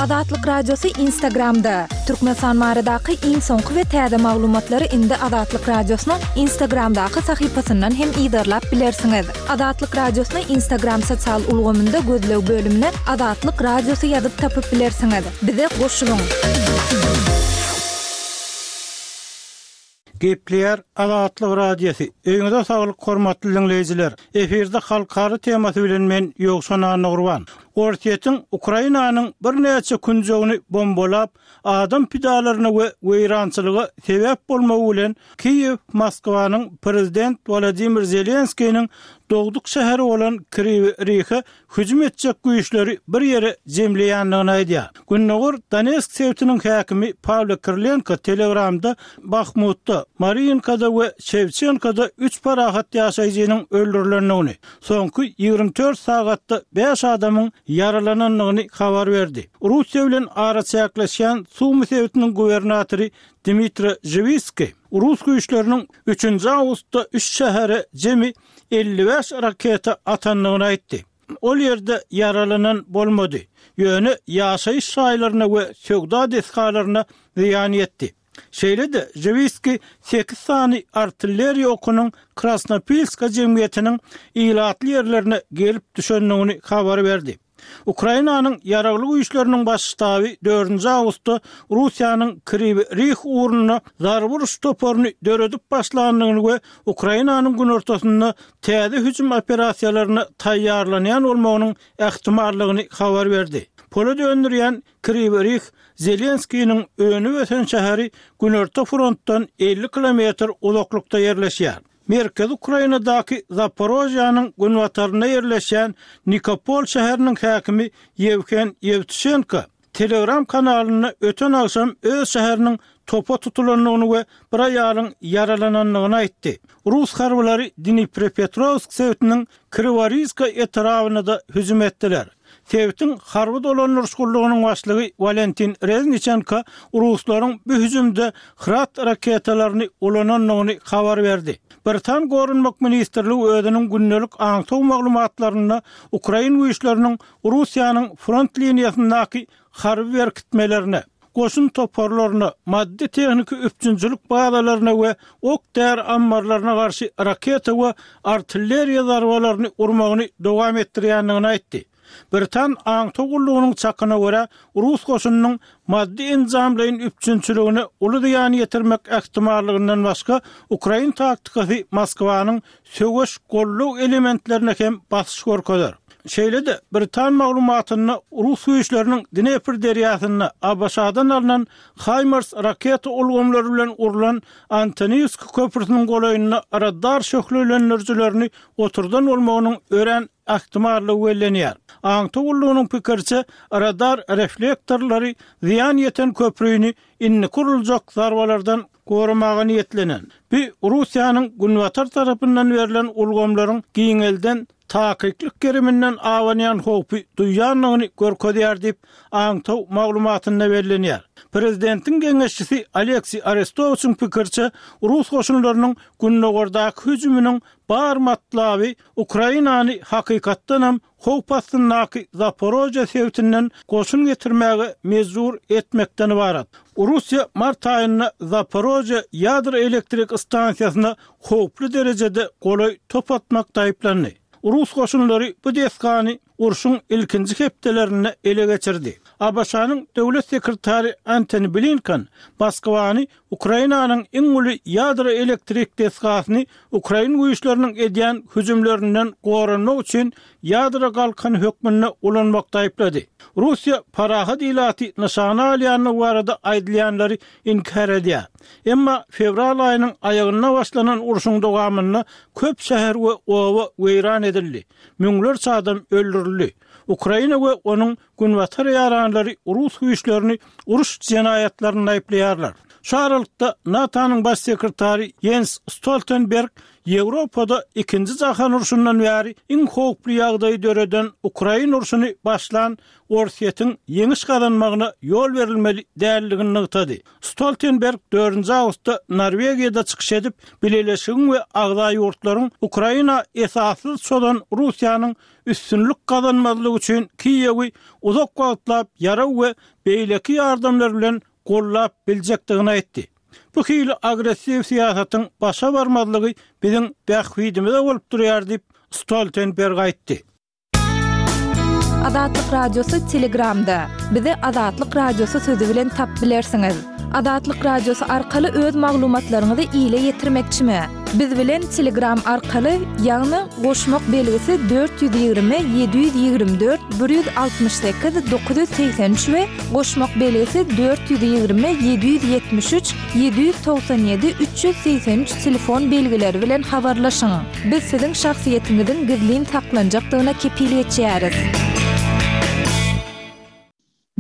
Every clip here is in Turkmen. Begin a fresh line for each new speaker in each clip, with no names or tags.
Azatlyk Radiosy Instagramda! Türkmenistan baradaky iň soňky we täze maglumatlary indi Azatlyk Radiosynyň Instagramdaky sahypasyndan hem yzarlap bilersiňiz. Azatlyk Radiosyny Instagram sosial ulgamynda gözleg bölümine Azatlyk Radiosy ýazyp tapyp bilersiňiz. Bize goşulyň!
Gepleýär Azatlyk Radiosy. Öýüňize saglyk hormatly diňleýjiler. Efirde halkara temasy bilen men Ýowşan Annagurban. Orsýetiň Ukrainanyň birnäçe künjegini bombalap, adam pidalaryna we weýrançylyga sebäp bolmagy bilen Kiýew Moskwanyň prezident Wolodymyr Zelenskiniň dogduk şäheri bolan Kriwi Rihe hüjüm etjek güýçleri bir ýere jemleýändigini aýdýar. Gündogar Donetsk sebitiniň häkimi Pawlo Kirilenko Telegramda Bahmutda, Mariinkada we Şewçenkoda üç parahat ýaşaýjynyň öldürilendigini, soňky 24 sagatda bäş adamyň ýaralanandygyny habar berdi. Russiýa bilen araçäkleşýän Sumy sebitiniň gubernatory Dmitri Žiwiskiý rus güýçleriniň üçünji awgustda üç şähere jemi 55 raketa atandygyny aýtdy. Ol ýerde ýaralanan bolmady, ýöne ýaşaýyş jaýlaryna we söwda desgalaryna zyýan ýetdi. Şeýle-de, Žiwiskiý sekiz sany artilleriýa okunyň Krasnopilska jemgyýetiniň ilatly ýerlerine gelip düşendigini habar berdi. Ukrainanyň Ýaragly Güýçleriniň Baş ştaby dördünji awgustda Russiýanyň Kriwi Rih ugrunda zarba uruş toparyny döredip başlandygyny we Ukrainanyň günortasynda täze hüjüm operasiýalaryna taýýarlanýan bolmagynyň ähtimallygyny habar berdi. Polat öndürýän Kriwi Rih Zelenskiniň önüp-ösen şäheri günorta frontdan 50 kilometr uzaklykda ýerleşýär. Merkezi Ukrainadaky Zaporožýanyň günbatarynda ýerleşýän Nikopol şäheriniň häkimi Ýewhen Ýewtuşenko Telegram kanalynda öten agşam öz şäheriniň topa tutulandygyny we bir aýalyň ýaralanandygyny aýtdy. Rus harbylary Dniprepetrowsk sebitiniň Kriworizka etrabyna-da hüjüm etdiler. Sebitiň harby dolandyryş gullugynyň başlygy Walentin Rezniçenko ruslaryň bu hüjümde Grad raketalaryny ulanandygyny habar berdi. Britan Goranmak ministrligi özüniň gündelik aňtaw maglumatlarynda ukrain güýçleriniň Russiýanyň front liniýasyndaky harby berkitmelerine, goşun toparlaryna, maddy-tehniki üpjünçilik bazalaryna we ok-däri ammarlaryna garşy raketa we artilleriýa zarbalaryny urmagyny dowam etdirýändigini aýtdy. Britan aňtaw gullugynyň çakyna görä, rus goşunynyň maddy-enjamlaýyn üpjünçiligine uly zyýan ýetirmek ähtimallygyndan başga, ukrain taktikasy Moskwanyň söweş goldaw elementlerine hem basyş görkezer. Şeýle-de, britan maglumatynda rus güýçleriniň Dnepr derýasynda ABŞ-dan alnan HIMARS raketa ulgamlary bilen urlan Antoniwsk köprüsiniň golaýynda radar şöhlelendirijilerini oturdan bolmagynyň örän ähtimallygy bellenýär. Aňtaw gullugynyň pikiriçe, radar reflektorlary zyýan ýeten köprüni indiki uruljak zarbalardan goramaga niýetlenen. Bu Russiýanyň günbatar tarapyndan berlen ulgamlaryň giňelden takyklyk geriminden abanýan howpy duýýandygyny görkezýär diýip, aňtaw maglumatynda bellenýär. Prezidentiň geňeşçisi Alekseý Arestowiçiň pikiriçe, rus goşunlarynyň gündogardaky hüjüminiň bar matlaby Ukrainany hakykatdanam howp astyndaky Zaporožýe sebitinden goşun getirmäge mejbur etmekden ybarat. Russiýa mart aýynda Zaporožýe ýadro elektrik stansiýasyna howply derejede golaý top atmakda aýyplandy. Rus goşunlary bu desgany urşuň ilkinji hepdelerinde ele geçirdi. ABŞ-nyň Döwlet sekretary Antony Blinken Moskwany Ukrainanyň iň uly ýadro elektrik desgasyny ukrain güýçleriniň edýän hüjümlerinden goranmak üçin ýadro galkany hökmünde ulanmakda aýyplady. Russiýa parahat ilaty nyşana alýandygy barada aýdylýanlary inkär edýär. Emma fewral aýynyň aýagynda başlanan urşuň dowamynda köp şäher we oba weýran edildi, müňlerçe adam öldürildi. Ukraina we onuň Günbatar ýaranlary rus güýçlerini uruş jenaýatlarynda aýyplaýarlar. Şu aralykda, NATO-nyň Baş sekretary Ýens Stoltenberg. Ýewropada Ikinji jahan urşundan bäri iň howply ýagdaýy döreden Ukraina urşuny başlan Orsýetiň ýeňiş gazanmagyna ýol berilmeli däldigini nygtady. Stoltenberg dördünji awgustda Norwegiýada çykyş edip, Bileleşigiň we agza ýurtlaryň Ukraina esassyz çozan Russiýanyň üstünlik gazanmazlygy üçin Kiýewi uzak wagtlap ýarag we beýleki ýardamlar bilen goldap biljekdigini aýtdy. Bu hili agressiw syýasatyň başa barmazlygy biziň bähbidimize bolup durýar diýip, Stoltenberg aýtdy.
Azatlyk Radiosy Telegramda. Bizi Azatlyk Radiosy sözi bilen tap bilersiňiz. Azatlyk Radiosy arkaly öz maglumatlaryňyzy ile ýetirmekçimi? Biz bilen Telegram arkaly, ýagny goşmak belgisi 420 724 168 983 we goşmak belgisi 420 773 797 383 telefon belgileri bilen habarlaşyň. Biz siziň şahsyýetiňiziň gizlin saklanjakdygyna kepil geçýäris.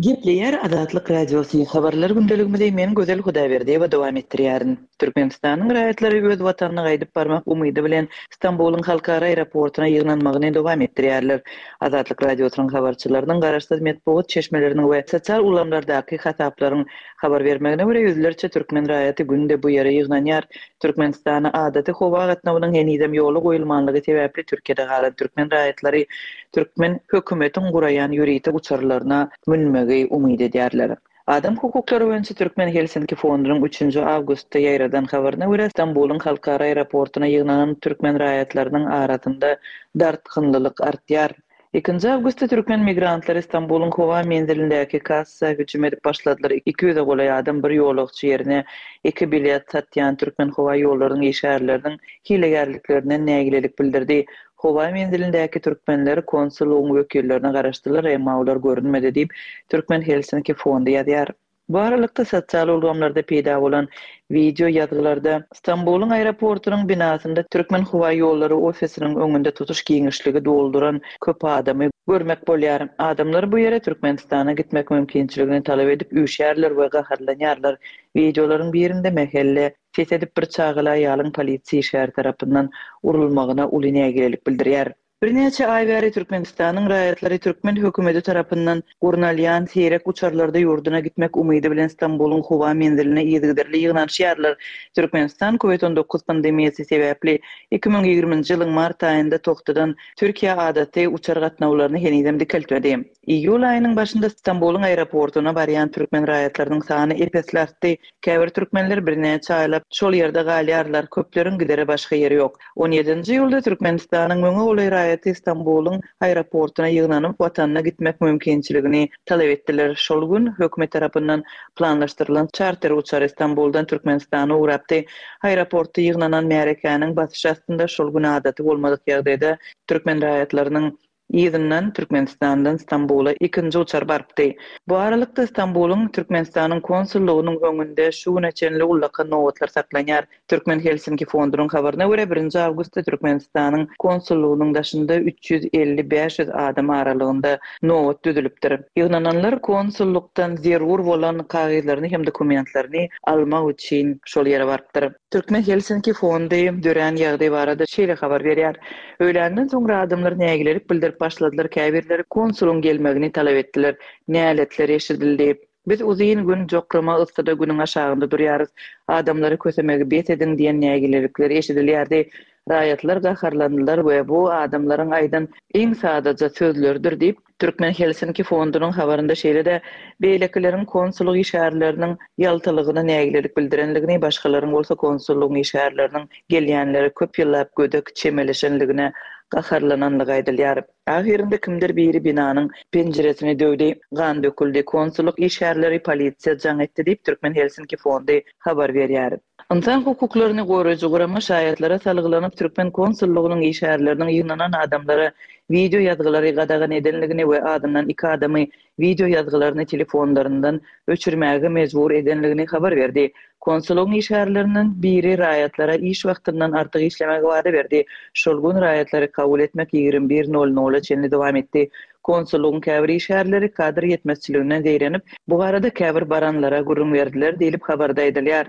Gepleýär Azatlyk Radiosy, Habarlar gündeligimizi men Gözel Hudaýberdiýewa dowam etdirýärin. Türkmenistanyň raýatlary öz watanyna gaýdyp barmak umydy bilen Stambulyň halkara aeroportuna ýygnanmagyny dowam etdirýärler. Azatlyk Radiosynyň habarçylarynyň garaşsyz metbugat çeşmeleriniň we sosial ulgamlardaky hasaplaryň habar bermegine görä, ýüzlerçe türkmen raýaty günde bu ýere ýygnanýar. Türkmenistana adaty howa gatnawynyň henizem ýola goýulmanlygy sebäpli Türkiýede galan türkmen raýatlary türkmen hökümetiň guraýan ýörite uçarlaryna münmegi umyt edýärler. Adam hukuklary boýunça Türkmen Helsinki fondunyň üçünji awgustda ýaýradan habaryna görä, Stambulyň halkara aeroportuna ýygnanan türkmen raýatlarynyň arasynda dartgynlylyk artýar. Ikinji awgustda türkmen migrantlary Stambulyň howa menzilindäki kassa hüjüm edip başladylar. 200-e golaý adam bir ýolagçy ýerine iki bilet satýan Türkmenhowaýollarynyň işgärleriniň hilegärliklerinden nägilelik bildirdi. Howa menzilindäki türkmenler konsullygyň wekillerine garaşdylar, emma olar görünmedi diýip, Türkmen Helsinki fondy ýazýar. Bu aralykda, sosial ulgamlarda peýda bolan wideo ýazgylarda Stambulyň aeroportunyň binasynda Türkmenhowaýollary ofisiniň öňünde tutuş giňişligi dolduran köp adamy görmek bolýar. Adamlar bu ýere Türkmenistana gitmek mümkinçiligini talap edip üýşýärler we gaharlanýarlar. Wideolaryň birinde mähelle ses edip bir çagaly aýalyň polisiýa işgäri tarapyndan urulmagyna uly nägilelik bildirýär. Birnäçe aý bäri Türkmenistanyň raýatlary türkmen hökümeti tarapyndan gurnalýan seýrek uçarlarda ýurduna gitmek umydy bilen Stambulyň howa menziline yzygiderli ýygnanyşýarlar. Türkmenistan Covid 19 pandemiýasy sebäpli 2020-nji ýylyň mart aýynda togtadan Türkiýä adaty uçar gatnawlaryny henizem dikeltmedi. Iýul aýynyň başynda Stambulyň aeroportuna barýan türkmen raýatlarynyň sany ep-esli artdy. Käbir türkmenler birnäçe aýlap şol ýerde galýarlar, köpleriň gidere başga ýeri ýok. On ýedinji iýulda Türkmenistanyň müňe golaý raýaty Stambulyň aeroportuna ýygnanyp, watanyna gitmek mümkinçiligini talap etdiler. Şol gün hökümet tarapyndan planlaşdyrylan çarter uçary Stambuldan Türkmenistana ugrapdy. Aeroportda ýygnanan märekäniň basyşy astynda şol gün adaty bolmadyk ýagdaýda türkmen raýatlarynyň Yzyndan Türkmenistandan Stambula ikinji uçar barypdy. Bu aralykda Stambulyň Türkmenistanyň konsullygynyň öňünde şu güne çenli ullakan nobatlar saklanýar. Türkmen Helsinki fondunyň habaryna görä, birinji awgustda Türkmenistanyň konsullygynyň daşynda 350, 500 adam aralygynda nobat düzülipdir. Ýygnananlar konsullykdan zerur bolan kagyzlaryny hem dokumentlerini almak üçin şol ýere barypdyr. Türkmen Helsinki fondy dörän ýagdaý barada şeýle habar berýär, Öýländen soňra adamlar nägilelik bildirip başladylar, käbirleri konsulyň gelmegini talap etdiler. Näletler eşidildi. Biz uzyn gün jokrama yssyda günüň aşagynda durýarys. Adamlary kösemegi bes ediň diýen nägilelikler eşidilýärdi. Raýatlar gaharlandylar we bu adamlaryň aýdan iň sadaja sözleridir diýip, Türkmen Helsinki fondunyň habarynda şeýle-de beýlekileriň konsullyk işgärleriniň ýaltalygyna nägilelik bildirenligini, başgalaryň bolsa konsullygyň işgärleriniň gelýänlere köp ýyllap gödek çemeleşenligine gaharlananlygy aýdylýar. Ahyrynda kimdir biri binanyň penjiresini döwdi, gan döküldi, konsullyk işgärleri polisiýa jaň etdi diýip, Türkmen Helsinki fondy habar berýär. Ynsan hukuklaryny goraýjy gurama şaýatlara salgylanyp, türkmen konsullygynyň işgärleriniň ýygnanan adamlara wideo ýazgylary gadagan edenligini we azyndan iki adamy wideo ýazgylaryny telefonlaryndan öçürmäge mejbur edenligini habar berdi. Konsullygyň işgärlerinden biri raýatlara iş wagtyndan artyk işlemegi wada berdi. Şol gün raýatlary kabul etmek 21 nol nola çenli dowam etdi. Konsullygyň käbir işgärleri kadr ýetmezçiliginden zeýrenip, bu barada käbir baranlara gürrüň berdiler diýlip, habarda aýdylýar.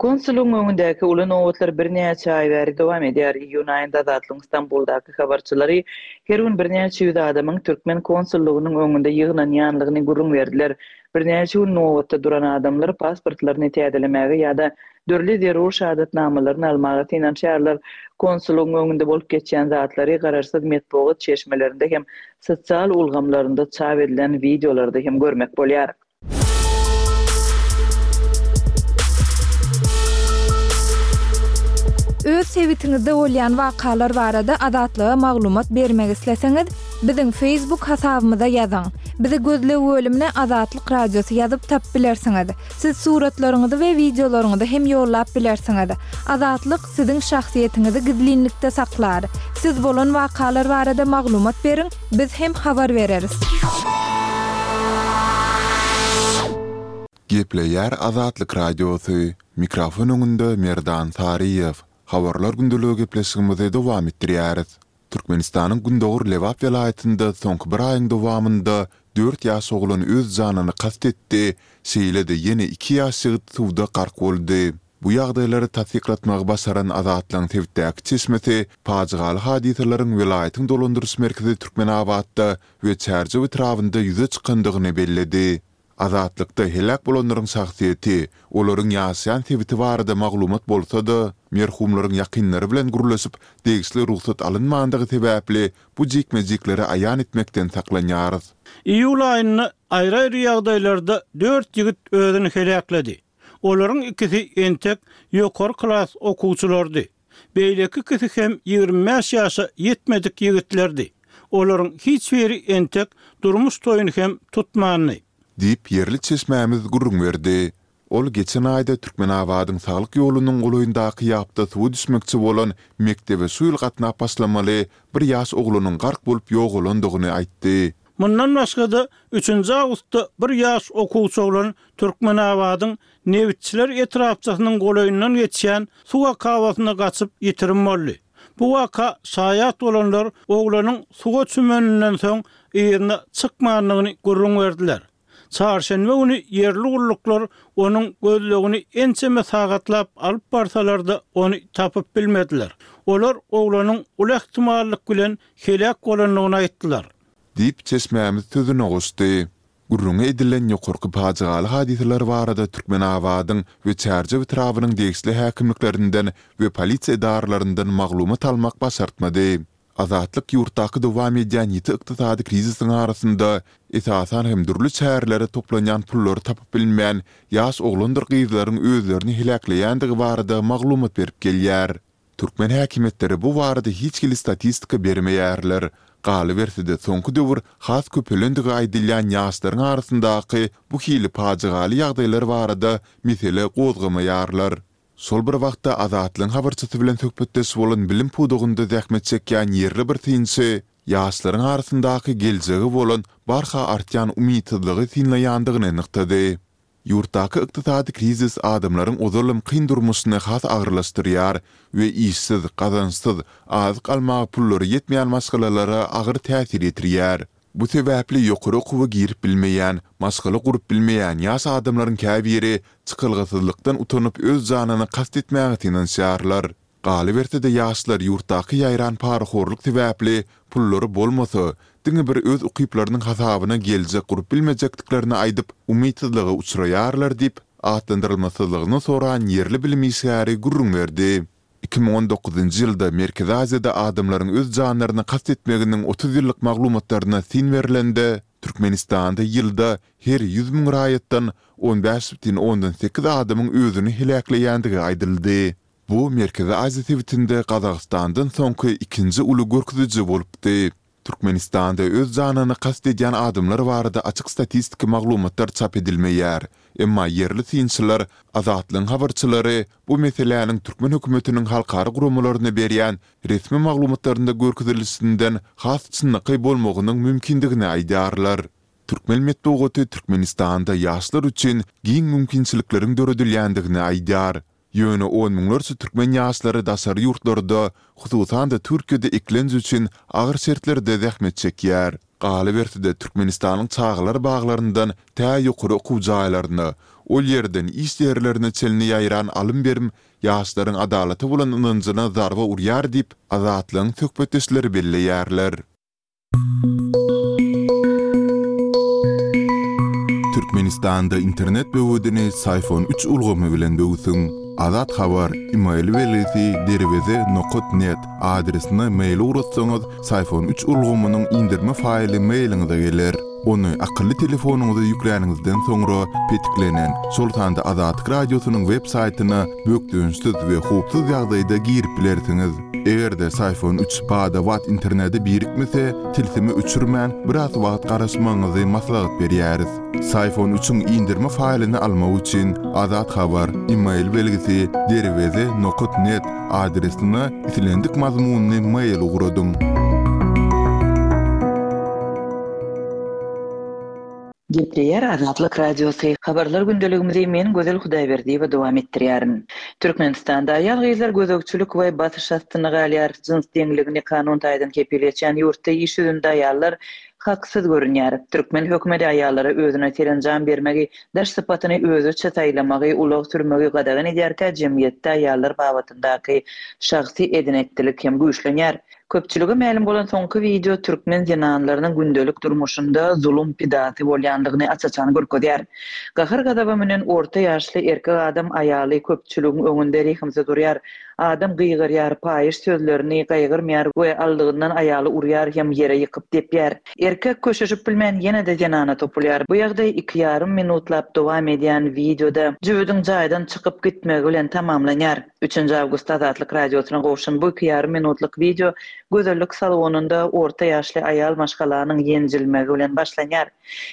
Konsullygyň öňündäki uly nobatlar birnäçe aý bäri dowam edýär. Iýun aýynda Azatlygyň Stambuldaky habarçylary her gün birnäçe ýüz adamyň türkmen konsullygynyň öňünde ýygnanýanlygyny gürrüň berdiler. Birnäçe gün nobatda duran adamlar pasportlaryny täzelemäge ýa-da dürli zerur şahadatnamalaryny almaga synanyşýarlar. Konsullygyň öňünde bolup geçýän zatlary garaşsyz metbugat çeşmelerinde hem sosial ulgamlarynda çap edilen wideolarda hem görmek bolýar.
Öz sebitiňizde bolýan wakalar barada Azatlyga maglumat bermek isleseňiz, biziň Facebook hasabymyza ýazyň. Bizi gözleg bölümine Azatlyk Radiosy ýazyp tapyp bilersiňiz. Siz suratlaryňyzy we wideolaryňyzy hem ýollap bilersiňiz. Azatlyk siziň şahsyýetiňizi gizlinlikde saklar. Siz bolan wakalar barada maglumat beriň, biz hem habar bereris.
Gepleýär Azatlyk Radiosy, Mikrofon öňünde Merdan Saryýew. Habarlar gündeligi gepleşigimizi dowam etdirýäris. Türkmenistanyň gündogar Lebap welaýatynda soňky bir aýyň dowamynda dört ýaş oglan öz janyna kast etdi, şeýle-de ýene iki ýaş ýigit suwda gark boldy. Bu ýagdaýlary tassyklatmagy başaran Azatlygyň sebitdäki çeşmesi pajygaly hadysalaryň welaýatyň dolandyryş merkezi Türkmenabatda we Çärjew etrabynda ýüze çykandygyny belledi. Azatlykda heläk bolanlaryň şahsyýeti, olaryň ýaşaýan sebiti barada maglumat bolsa-da, merhumlaryň ýakynlary bilen gürleşip, degişli rugsat alynmandygy sebäpli bu jikme-jikleri aýan etmekden saklanýarys.
Iýul aýynda aýry-aýry ýagdaýlarda dört ýigit özüni heläkledi. Olaryň ikisi entek ýokary klas okuwçylarydy. Beýleki ikisi hem 25 ýaşa ýetmedik ýigitlerdi. Olaryň hiç biri entek durmuş toýuny hem tutmandy.
Diýip, ýerli çeşmämiz gürrüň berdi. Ol geçen aýda Türkmenabadyň Saglyk ýolunyň golaýyndaky ýapda suwa düşmekçi bolan, mekdebe şu ýyl gatnap başlamaly bir ýaş oglanyň gark bolup ýogalandygyny aýtdy.
Mundan başga-da, üçünji awgustda bir ýaş okuwçy oglan Türkmenabadyň Nebitçiler etrapçasynyň golaýyndan geçýän suw akabasyna gaçyp ýitirim boldy. Bu waka şaýat bolanlar oglanyň suwa çümeninden soň yzyna çykmandygyny gürrüň berdiler. Çarşenbe güni ýerli gulluklar onuň gözlegini ençeme sagatlap alyp barsalar-da, ony tapyp bilmediler. Olar oglanyň uly ähtimallyk bilen heläk bolandygyny aýtdylar.
Diýip, çeşmämiz sözüne goşdy. Gürrüňi edilen ýokarky pajygaly hadysalar barada Türkmenabadyň we Çärjew etrabynyň degişli häkimliklerinden we polisiýa edaralaryndan maglumat almak başartmady. Azatlyk ýurtdaky dowam edýän ýiti ykdysady krizisiň arasynda, esasan hem dürli çärelere toplanýan pullary tapyp bilmän, ýaş oglandyr gyzlaryň özlerini heläkleýändigi barada maglumat berip gelýär. Türkmen häkimiýetleri bu barada hiç hili statistika bermeýärler. Galyberse-de, soňky döwür has köpelendigi aýdylýan ýaşlaryň arasyndaky bu hili pajygaly ýagdaýlar barada mesele gozgamaýarlar. Şol bir wagtda, Azatlygyň habarçysy bilen söhbetdeş bolan bilim pudagynda zähmet çekýän ýerli bir synçy ýaşlaryň arasyndaky geljege bolan barha artýan umytsyzlygy synlaýandygyny nygtady. Ýurtdaky ykdysady krizis adamlaryň ozalam kyn durmuşyny has agyrlaşdyrýar we işsiz, gazançsyz, azyk almaga pullary ýetmeýän maşgalalara agyr täsir ýetirýär. Bu sebäpli ýokary okuwa girip bilmeýän, maşgala gurup bilmeýän ýaş adamlaryň käbiri çykalgasyzlykdan utanyp öz janyna kast etmäge synanyşýarlar. Galyberse-de ýaşlar ýurtdaky ýaýran parahorluk sebäpli pullary bolmasa, diňe bir öz ukyplarynyň hasabyna geljek gurup bilmejekdiklerini aýdyp, umytsyzlyga uçraýarlar diýip, atlandyrylmasyzlygyny soran ýerli bilim işgäri gürrüň berdi. 2019-njy ýylda Merkezi Aziýada adamlaryň öz janlaryna kast etmeginiň 30 ýyllyk maglumatlaryna syn berlende, Türkmenistanda ýylda her 100 müň raýatdan 15,8 adamyň özüni heläkleýändigi aýdyldy. Bu Merkezi Aziýa sebitinde Gazagystandan soňky ikinji uly görkeziji bolupdy. Türkmenistanda öz janyna kast edýän adamlar barada açyk statistiki maglumatlar çap edilmeýär. Emma ýerli synçylar, Azatlygyň habarçylary bu meseläniň türkmen hökümetiniň halkara guramalaryna berýän resmi maglumatlarynda görkezilişinden has çynlakaý bolmagynyň mümkindigini aýdýarlar. Türkmen metbugaty Türkmenistanda ýaşlar üçin giň mümkinçilikleriň döredilýändigini aýdýar. Ýöne on müňlerçe türkmen ýaşlary daşary ýurtlarda, hususan-da Türkiýede eklenç üçin agyr şertlerde zähmet çekýär. Galyberse-de, Türkmenistanyň çagalar baglaryndan tä ýokary okuw jaýlaryna, ol ýerden iş ýerlerine çenli ýaýran alym-berim ýaşlaryň adalata bolan ynanjyna zarba urýar diýip, Azatlygyň söhbetdeşleri belleýärler. Türkmenistanda internet böwedini Syfon üç ulgamy bilen böwsüň. Azat Habar, email belgisi derweze nokat net adresine mail ugratsaňyz, Syfon üç ulgamynyň indirme faýly mailiňize geler. Ony akylly telefonyňyza ýükläniňizden soňra petiklenen, şol sanda Azatlyk Radiosynyň web saýtyna bökdençsiz we howpsuz ýagdaýda girip bilersiňiz. Eger-de Syfon üç bada-bat internete birikmese, tilsimi öçürmän, biraz wagt garaşmagyňyzy maslahat berýäris. Syfon üçiň indirme faýlyny almak üçin Azat Habar, email belgisi, derweze nokat net adresine islendik mazmunly mail ugradyň.
Gepleýär Azatlyk Radiosy, Habarlar gündeligimizi men Gözel Hudaýberdiýewa dowam etdirýärin. Türkmenistanda aýal-gyzlar gözegçilik we basyş astynda galýar, jyns deňligini kanun taýdan kepil geçýän ýurtda iş ýüzünde aýallar haksyz görünýär. Türkmen hökümeti aýallara özüne serenjam bermegi, daş sypatyny özüçe saýlamagy, ulag sürmegi gadagan edýärkä jemgyýetde aýallar babatyndaky şahsy eden-etdilik hem güýçlenýär. Köpçülige mälim bolan soňky wideo türkmen zenanlarynyň gündelik durmuşynda zulum pidasy bolýandygyny aç-açan görkezýär. Gahar-gazaba münen orta ýaşly erkek adam aýaly köpçüligiň öňünde rehimsiz urýar. Adam gygyrýar, paýyş sözlerini gaýgyrmaýar we aldygyndan aýaly urýar hem ýere ýykyp depýär. Erkek köşeşip bilmän ýene-de zenana topulýar. Bu ýagdaý iki ýarym minutlap dowam edýän wideoda jübüdiň jaýdan çykyp gitmegi bilen tamamlanýar. Üçünji awgustda Azatlyk Radiosyna gowşan bu iki ýarym minutlyk wideo gözellik salonynda orta ýaşly aýal maşgalanyň ýenjilmegi bilen başlanýar.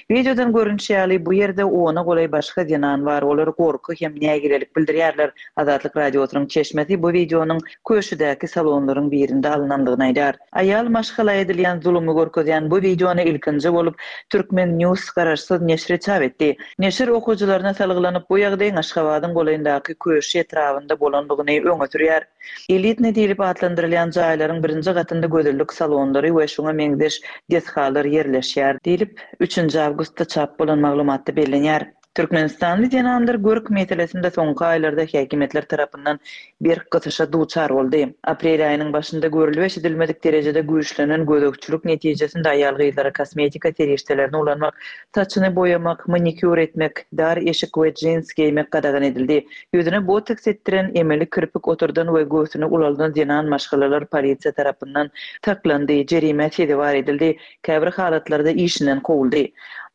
Wideodan görnüşi ýaly, bu ýerde ona golaý başga zenan bar, olar gorky hem nägilelik bildirýärler. Azatlyk Radiosynyň çeşmesi bu wideonyň Köşüdäki salonlaryň birinde alnandygyny aýdýar. Aýal maşgala edilýän zulumy görkezýän bu wideony ilkinji bolup Turkmen. News garaşsyz neşiri çap etdi. Neşir okyjylaryna salgylanyp, bu ýagdaýyň Aşgabadyň golaýyndaky Köşi etrabynda bolandygyny öňe sürýär. Elitnyý diýlip atlandyrylýan jaýlaryň birinji gatynda gözellik salonlary we şuňa meňzeş desgalar ýerleşýär diýlip, üçünji awgustda çap bolan maglumatda bellenýär. Türkmenistanly zenanlar görk meselesinde soňky aýlarda häkimiýetler tarapyndan berk gysyşa duçar boldy. Aprel aýynyň başynda görlüp-eşidilmedik derejede güýçlenen gözegçilik netijesinde aýal-gyzlara kosmetika serişdelerini ulanmak, saçyny boýamak, manikýur etmek, dar eşik we jins geýmek gadagan edildi. Ýüzüne botoks etdiren, emeli kirpik oturdan we göwsüni ulaldan zenan maşgalalar polisiýa tarapyndan saklandy, jerimä sezewar edildi, käbir halatlarda işinden kowuldy.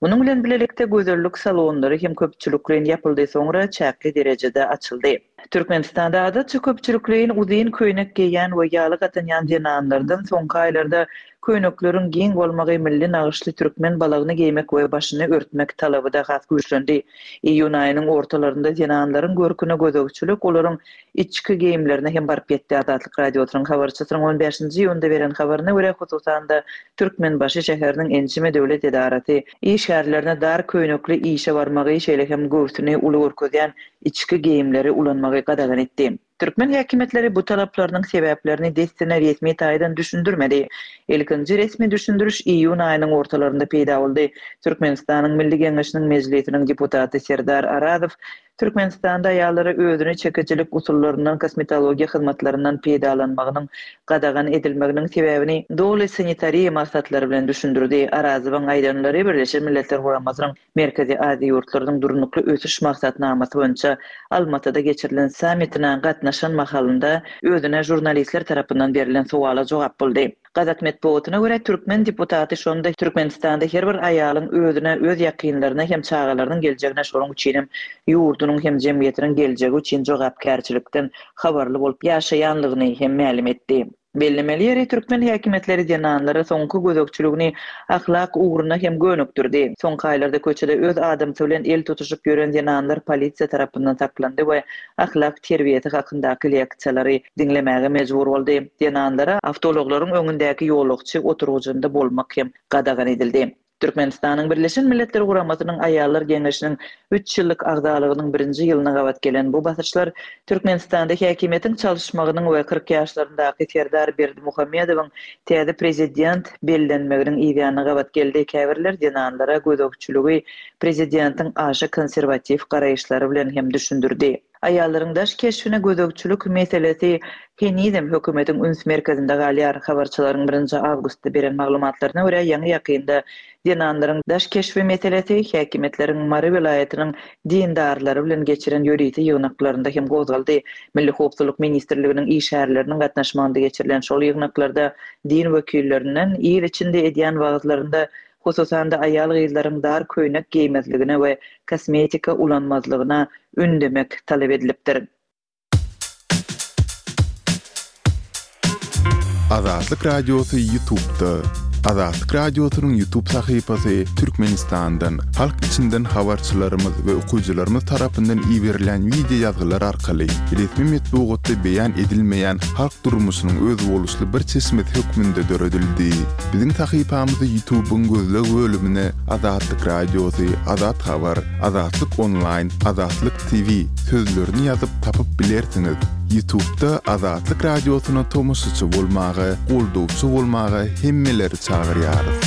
Munuň bilen bilelikde gözellik salonlary hem köpçülikleýin ýapyldy, soňra çäkli derejede açyldy. Türkmenistanda adatça köpçülikleýin uzyn köýnek geýýän we ýalyk atynýan zenanlardan soňky aýlarda köýnekleriň giň bolmagy, milli nagyşly türkmen balagyny geýmek we başyny örtmek talaby-da has güýçlendi. Iýun aýynyň ortalarynda zenanlaryň görküne gözegçilik olaryň içki geýimlerine hem baryp ýetdi. Azatlyk Radiosynyň habarçysynyň on bäşinji iýunda beren habaryna görä, hususan-da, Türkmenbaşy şäheriniň ençeme döwlet edarasy işgärlerine dar köýnekli işe barmagy, şeýle hem göwsüni uly görkezýän içki geýimleri ulanmagy gadagan etdi. Türkmen häkimiýetleri bu talaplarynyň sebäplerini dessine resmi taýdan düşündirmedi. Ilkinji resmi düşündiriş iýun aýynyň ortalarynda peýda boldy. Türkmenistanyň Milli Geňeşiniň Mejlisiniň deputaty Serdar Arazow Türkmenistanda aýallara özüne çekijilik usullaryndan, kosmetologiýa hyzmatlaryndan peýdalanmagynyň gadagan edilmeginiň sebäbini doly sanitariýa maksatlary bilen düşündirdi. Arazowyň aýdanlary Birleşen Milletler Guramasynyň Merkezi Aziýa ýurtlarynyň Durnukly ösüş maksatnamasy boýunça Almatyda geçirilen sammitine gatnaşan mahalynda özüne žurnalistler tarapyndan berlen sowala jogap boldy. Gazak metbugatyna görä, türkmen deputaty şonda Türkmenistanda her bir aýalyň özüne, öz ýakynlaryna hem çagalarynyň geljegine, şonuň üçinem ýurdunyň hem jemgyýetiniň geljegi üçin jogapkärçilikden habarly bolup ýaşaýanlygyny hem mälim etdi. Bellemeli ýeri, türkmen häkimiýetleri zenanlara soňky gözegçiligini ahlak ugruna hem gönükdirdi. Soňky aýlarda köçede öz adamsy bilen el tutuşyp ýören zenanlar polisiýa tarapyndan saklandy we ahlak terbiýesi hakyndaky leksiýalary diňlemäge mejbur boldy. Zenanlara awtoulaglaryň öňündäki ýolagçy oturgyjynda bolmak hem gadagan edildi. Türkmenistanyň Birleşen Milletler Guramasynyň Aýallar Geňeşiniň üç ýyllyk agzalygynyň birinji ýylyna gabat gelen bu basyşlar Türkmenistanda häkimiýetiň çalyşmagynyň we 40 ýaşlaryndaky Serdar Berdimuhamedowyň täze prezident bellenmeginiň yzýanyna gabat geldi. Käbirler zenanlara gözegçiligi prezidentiň aşa konserwatiw garaýyşlary bilen hem düşündirdi. Aýallaryň daş keşbine gözegçilik meselesi henizem hökümetiň üns merkezinde galýar. Habarçylaryň birinji awgustda beren maglumatlaryna görä, ýaňy-ýakynda zenanlaryň daş keşbi meselesi häkimiýetleriň Mary welaýatynyň dindarlary bilen geçiren ýörite ýygnaklarynda hem gozgaldy. Milli howpsuzlyk ministrliginiň işgärleriniň gatnaşmagynda geçirilen şol ýygnaklarda din wekillerinden il içinde edýän wagyzlarynda hususan-da aýal-gyzlaryň dar köýnek geýmezligine we kosmetika ulanmazlygyna ündemek talap edilipdir.
Azatlyk Radiosy Ýutubda. Azatlyk Radiosynyň Ýutub sahypasy Türkmenistandan, halk içinden habarçylarymyz we okyjylarymyz tarapyndan iberilýän wideo ýazgylar arkaly resmi metbugatda beýan edilmeýän halk durmuşynyň özboluşly bir çeşmesi hökmünde döredildi. Biziň sahypamyzy Ýutubyň gözleg bölümine Azatlyk Radiosy, Azat Habar, Azatlyk Onlaýn, Azatlyk TV sözlerini ýazyp tapyp bilersiňiz. Ýutubda Azatlyk Radiosyna tomaşaçy bolmaga, goldawçy bolmaga hemmeleri çagyrýarys.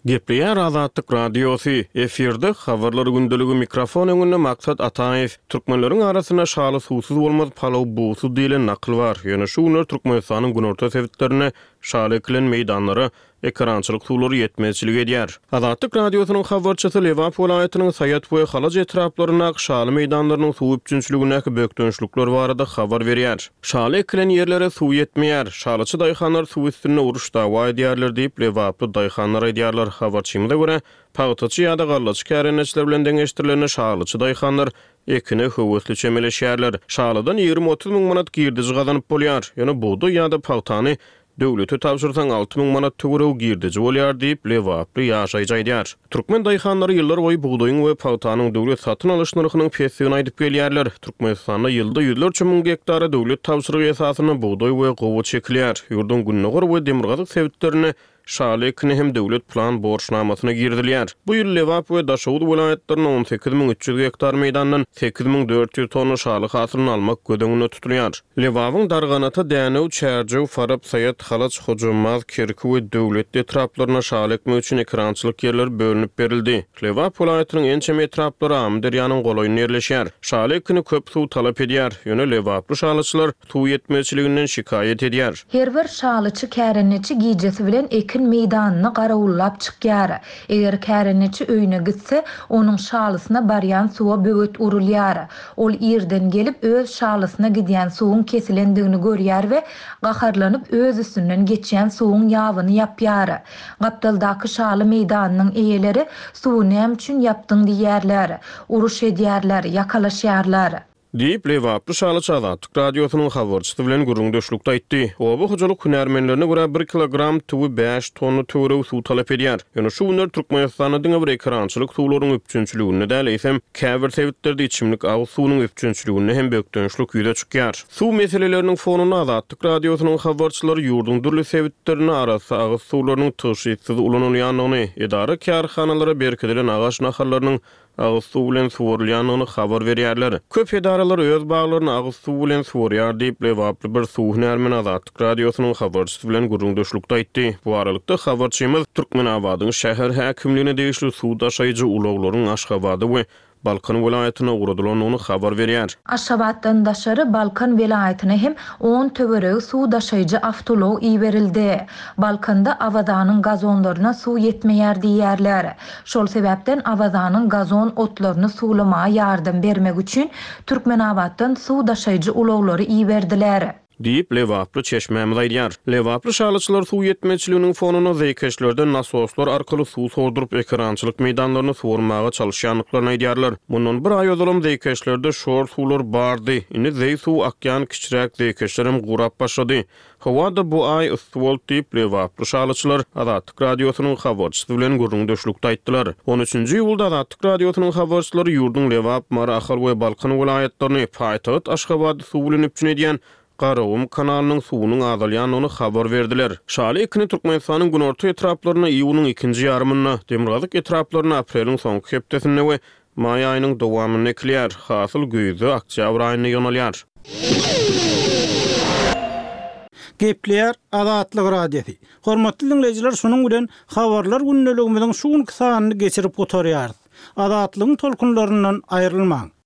Gepleýär Azatlyk Radiosy, efirde Habarlar gündeligi mikrofon öňünde Maksat Ataýew. Türkmenleriň arasynda şaly suwsuz bolmaz, palaw bugsuz diýlen nakyl bar. Ýöne şu günler Türkmenistanyň günorta sebitlerinde şaly ekilen meýdanlara ekerançylyk suwlary ýetmezçilik edýär. Azatlyk Radiosynyň habarçysy Lebap welaýatynyň Saýat we Halaç etraplaryndaky şaly meýdanlarynyň suw üpjünçiligindäki bökdençlikler barada habar berýär. Şaly ekilen ýerlere suw ýetmeýär. Şalyçy daýhanlar suw üstünde uruş-dawa edýärler diýip, lebaply daýhanlar aýdýarlar. Habarçymyza görä, pagtaçy ýa-da gallaçy kärendeçiler bilen deňeşdirilende şalyçy daýhanlar ekine höwesli çemeleşýärler. Şalydan 20-30 müň manat girdeji gazanyp bolýar. Ýöne bugdaý ýa-da pagtany Döwlete tabşyrsaň 6000 manat töweregi girdeji bolýar diýip, lebaply ýaşaýjy aýdýar. Türkmen daýhanlary ýyllar boýy bugdaýyň we pagtanyň döwlet satyn alyş nyrhynyň pesdigini aýdyp gelýärler. Türkmenistanda ýylda ýüzlerçe müň gektara döwlet tabşyrygy esasynda bugdaý we gowaça ekilýär. Ýurduň gündogar we demirgazyk sebitlerinde şaly ekini hem döwlet plan borçnamasyna girizilýär. Bu ýyl Lebap we Daşoguz welaýatlarynda 18 300 gektar meýdandan 8400 tonna şaly hasylyny almak göz öňünde tutulýar. Lebabyň Darganata, Dänew, Çärjew, Farap, Saýat, Halaç, Hojambaz, Kerki we Döwletli etraplaryna şaly ekmek üçin ekerançylyk ýerleri bölünip berildi. Lebap welaýatynyň ençeme etraplary Amyderýanyň golaýynda ýerleşýär. Şaly ekini köp suw talap edýär. Ýöne lebaply şalyçylar suw ýetmezçiliginden şikaýat edýär.
Her bir şalyçy kärendeçi gijesi bilen ekin meýdanyny garawullap çykýar. Eger kärendeçi öýüne gitse, onuň şalysyna barýan suwa böwet urulýar. Ol irden gelip, öz şalysyna gidýän suwuň kesilendigini görýär we gaharlanyp öz üstünden geçýän suwuň ýabyny ýapýar. Gapdaldaky şaly meýdanynyň eýeleri suwy näme üçin ýapdyň diýýärler. Uruş edýärler, ýakalaşýarlar.
Diýip, lebaply şalyçy Azatlyk Radiosynyň habarçysy bilen gürrüňdeşlikde aýtdy. Oba hojalyk hünärmenlerine görä, bir kilogram tüwi bäş tonna töweregi suw talap edýär. Ýöne şu günler Türkmenistanda diňe bir ekerançylyk suwlaryň üpjünçiliginde däl, eýsem, käbir sebitlerde içimlik agyz suwunyň üpjünçiliginde hem bökdençlik ýüze çykýar. Suw meseleleriniň fonunda Azatlyk Radiosynyň habarçylary ýurduň dürli sebitlerinde arassa agyz suwlarynyň tygşytsyz ulanylýandygyny, edara-kärhanalara berkidilen agaç nahallarynyň agyz suw bilen suwarylýandygyny habar berýärler. Köp edaralar öz baglaryny agyz suw bilen suwarýar diýip, lebaply bir suw hünärmeni Azatlyk Radiosynyň habarçysy bilen gürrüňdeşlikde aýtdy. Bu aralykda, habarçymyz Türkmenabadyň şäher häkimligine degişli suw daşaýjy ulaglaryň Aşgabada we Balkan welaýatyna ugradylandygyny habar berýär.
Aşgabatdan daşary Balkan welaýatyna hem on töweregi suw daşaýjy awtoulag iberildi. Balkanda Awazanyň gazonlaryna suw ýetmeýär diýýärler. Şol sebäpden Awazanyň gazon otlaryny suwlamaga ýardam bermek üçin Türkmenabatdan suw daşaýjy ulaglary iberdiler.
Diýip, lebaply çeşmämiz aýdýar. Lebaply şalyçylar suw ýetmezçiliginiň fonunda zeýkeşlerden nasoslar arkaly suw sorduryp, ekerançylyk meýdanlaryny suwarmaga çalyşýandyklaryny aýdýarlar. Mundan bir aý ozalam zeýkeşlerde şor suwlar bardy. Indi zeý suwy akýan kiçiräk zeýkeşlerem gurap başlady. Howa-da bu aý yssy boldy diýip, lebaply şalyçylar Azatlyk Radiosynyň habarçysy bilen gürrüňdeşlikde aýtdylar. On üçünji iýulda Azatlyk Radiosynyň habarçylary ýurduň Lebap, Mary, Ahal we Balkan welaýatlaryny, paýtagt Aşgabady suw bilen üpjün edýän. Garagum kanalynyň suwunyň azalýandygyny habar berdiler. Şaly ekini Türkmenistanyň günorta etraplarynda iýunyň ikinji ýarymynda, demirgazyk etraplarynda apreliň soňky hepdesinde we maý aýynyň dowamynda ekilýär. Hasyl güýzde, oktýabr aýynda ýygnalýar.
Gepleýär Azatlyk Radiosy. Hormatly diňleýjiler şunuň bilen Habarlar gündeligimiziň şu günki sanyny geçirip gutarýarys. Azatlygyň tolkunlaryndan aýrylmaň.